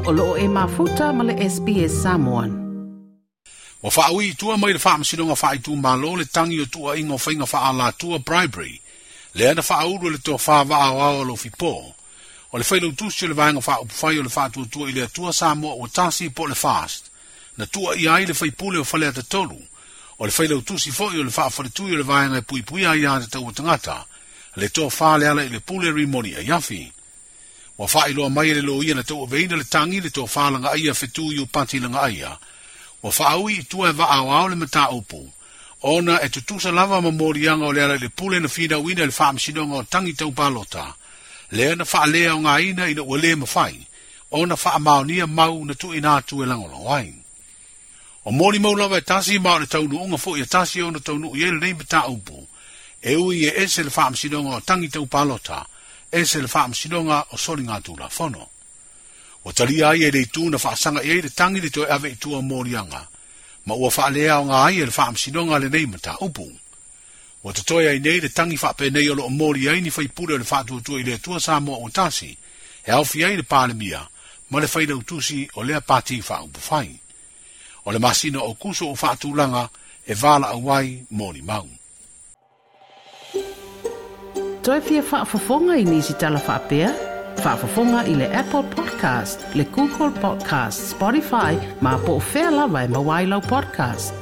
O loo e mafuta ma le SBS Samoan. Ua faaui i tua mai le Faamasinoga Faaitumalo le tagi o tuuaiga o faiga faaalatua bribery lea na faaulu e le tofa Vaa Aoao Alofi Paul, o le failautusi o le Vaega Faaupufai o le Faatuatua i le Atua Samoa Ua Tasi po o le FAST, na tuuaia ai le faipule o Faleata 3, o le failautusi foi o le faafaletui o le Vaega e Puipuia Aia Tatau a Tagata, le tofa Lealailepule Rimoni Aiafi. Ua faailoa mai e le loia na tauaveina le tagi le tofa Lagaaia Fetu Iupati Lagaaia, ua faaui i tua e Vaa Aoao le mataupu, ona e tutusa lava ma moliaga o Lealailepule na finauina i le Faamasinoga o Tagi Tau Palota, lea na faaleaogaina ina ua le mafai ona faamaonia mau na tuuina atu e lagolago ai. O molimau lava e tasi ma o le taunuuga foi e tasi ona taunuu i ai lenei mataupu, e ui e ese le Faamasinoga o Tagi Tau Palota, ese le Faamasinoga o Soligatulafono. Ua talia ai e le itu na faasaga i ai le tagi le toe ave i tua o moliaga, ma ua faaleaoga ai e le Faamasinoga lenei mataupu. Ua totoe ai nei le tagi faapenei o loo moli ai ni faipule o le Faatuatua i le Atua Samoa Ua Tasi, e aofia ai le Palemia ma le failautusi o lea pati faaupufai. O le masina o Kuso o faatulaga e valaau ai molimau. Toe fia faafofoga i nisi tala faapea? Faafofoga i le Apple Podcast, le Google Podcast, Spotify, ma po o fea lava e maua ai lau podcast.